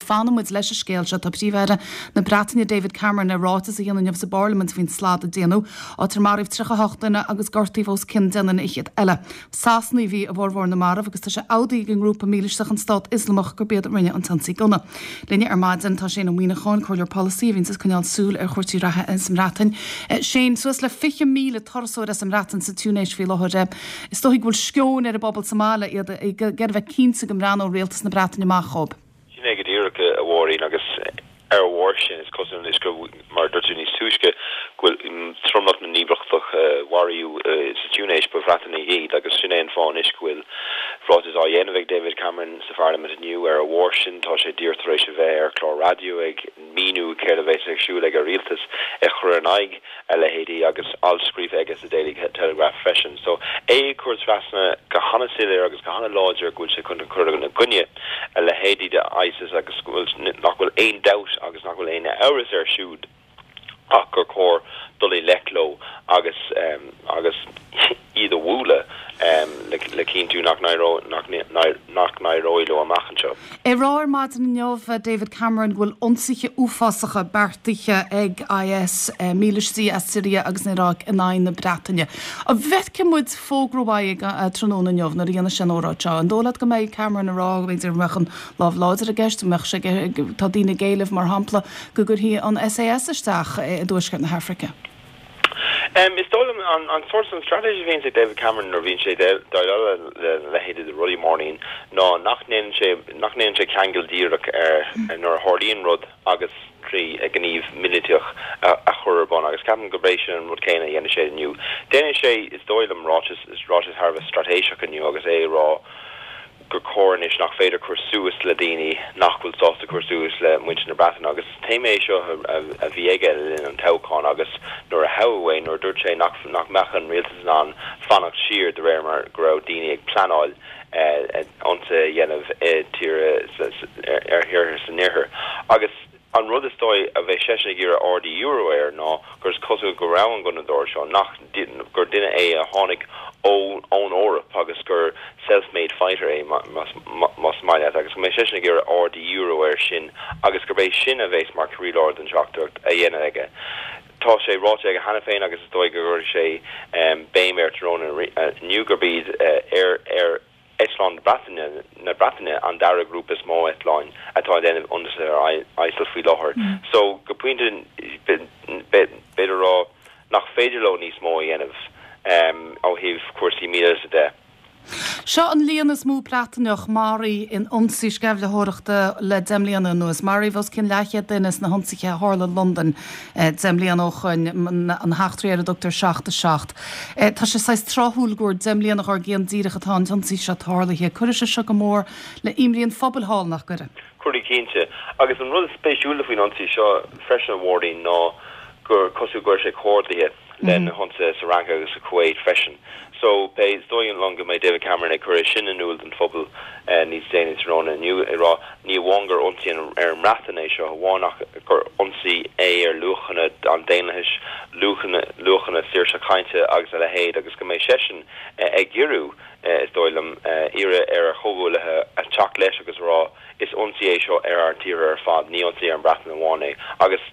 Fanfaidh muid leis an scéal seo. Tá Príomh-Aire na Breataine David Cameron le ráiteas a dhéanamh inniu sa bParlaimint faoin slad a déanadh, áit ar maraíodh 38 duine agus gortaíodh os cionn 10 nduine fhichead eile. Sasanaigh a bhí i bhformhór na marbh agus tá sé admhaithe ag an ngrúpa mílisteach an Stát Ioslamach gurb iad a rinne an t-ionsaí gunna. Linne ar maidin tá Shane Ó Muíneacháin, Comhairleoir Polasaí a bhíonns ag coinneáil súil ar chúrsaí reatha sa mBreatain. Shane, suas le 20,000 turasóir as an mBreatain sa Túinéis faoi láthair. Is dóigh go bhfuil sceoin ar an bpobal sa mbaile, iad ag iarraidh a bheith cinnte go mbreathnóidh rialtas na Breataine amach dhóibh. Sin é go díreach, a Mháirín, agus ar a bharr sin, is cosúil anois go, mar a dúirt tú níos túisce, go bhfuil tromlach na n-íospartach a maraíodh sa Túinéis, ba Bhreatanaigh iad, agus sin é an fáth anois go bhfuil ráiteas á dhéanamh ag David Cameron sa Pharlaimint inniu. Ar a bharr sin, tá sé díreach tar éis a bheith ar chlár raidió ag míniú céard a bheas ar siúl ag a rialtas ag cur in aghaidh a leithéidí agus alt scríofa aige sa Daily Telegraph freisin. So, é ag cur trasna go hana-soiléir agus go hana-láidir go bhfuil sé chun cur ina gcoinne a leithéidí de ISIS agus go bhfuil, nach bhfuil aon dabht agus nach bhfuil aon amhras air siúd ach gur chóir dul i ngleic leo agus agus iad a bhualadh le cinntiú nach n-éireoidh leo amach anseo. É ag rá ar maidin inniu, David Cameron, go bhfuil ionsaithe uafásacha beartaithe ag IS, mílístí as Siria agus an Iaráic in aghaidh na Breataine. An bhfeicfidh muid fógra uaidh tráthnóna inniu nuair a dhéanfaidh sé an óráid seo? An dóigh leat go mbeidh Cameron ag rá, b'fhéidir, go mbeadh an lámh láidir i gceist, go mbeadh sé ag, tá daoine ag éileamh, mar shampla, go gcuirfí an SAS isteach i dTuaisceart na hAfraice? Is dóigh liom an sórt, an straitéis a bhíonns ag David Cameron nuair a bhíonn sé ag déileáil le leithéidí de rudaí, Máirín, ná nach ndéanann sé, nach ndéanann sé ceangal díreach ar nuair a tharlaíonn rud agus trí ghníomh millteach a chur ar bun agus ceapaim gurb é sin an rud céanna a dhéanfaidh sé inniu. Déanfaidh sé, is dóigh liom, ráiteas, ráiteas thar a bheith straitéiseach inniu agus é ag rá, gur cóir anois nach féidir cur suas le daoine nach bhfuil sásta cur suas le muintir na Breataine agus is téama é seo a bhí aige le linn an toghcháin agus nuair a toghadh é nuair a dúirt sé nach nach mbeadh an rialtas in ann fanacht siar de réir mar go raibh daoine ag pleanáil ionsaithe a dhéanamh i tíortha ar thíortha san iarthar agus An rud is dóigh a bheidh seisean ag iarraidh aird a dhíriú air ná gur is cosúil go raibh an gunnadóir seo, nach, gur duine é a tháinig ó, ón Eoraip agus gur self-made fighter é más maith leat agus go mbeidh seisean ag iarraidh aird a dhíriú air sin agus gurb é sin a bheas mar chroílár den teachtaireacht a dhéanamh aige. Tá sé ráite aige cheana féin agus is dóigh go gcuirfidh sé béim air tráthnóna inniu gurb iad ar, ar, Eitleáin na Breataine, na Breataine an dara grúpa is mó eitleáin atá ag déanamh ionsaithe ar ISIL faoi láthair. So, go pointe, b'fhéidir a rá nach féidir leo níos mó a dhéanamh ó thaobh cúrsaí míleata de. Seo an líon is mó Breataineach maraithe in ionsaí sceimhlitheoireachta le 10 mbliana anuas. Maraíodh os cionn leathchéad duine sna hionsaithe a tharla i Londain 10 mbliana ó shoin, na heachtraí ar a dtugtar 7 7. Tá sé saghas tráthúil gur 10 mbliana dhár gcionn díreach atá an t-ionsaí seo tarlaithe. Cuirfidh sé seo go mór le imní an phobail thall, nach gcuirfidh? Cuirfidh cinnte. Agus an rud is spéisiúla faoin ionsaí seo freisin, a Mháirín, ná gur cosúil go raibh sé comhordaithe le na hionsaithe sa Fhrainc agus sa Kuwait freisin. So, beidh, is dóigh liom go mbeidh David Cameron ag cur é sin in iúl don phobal níos déanaí tráthnóna inniu, ag rá ní amháin gur ionsaí ar an mBreatain é seo amháin ach gur ionsaí é ar luachanna an daonlathais, luachanna, luachanna saoirse cainte agus a leithéid agus go mbeidh seisean ag iarraidh, is dóigh liom, iarraidh ar a chomhghuaillithe a teacht leis agus a rá is ionsaí é seo ar ár dtíortha ar fad, ní ionsaí ar an mBreatain amháin é. Agus.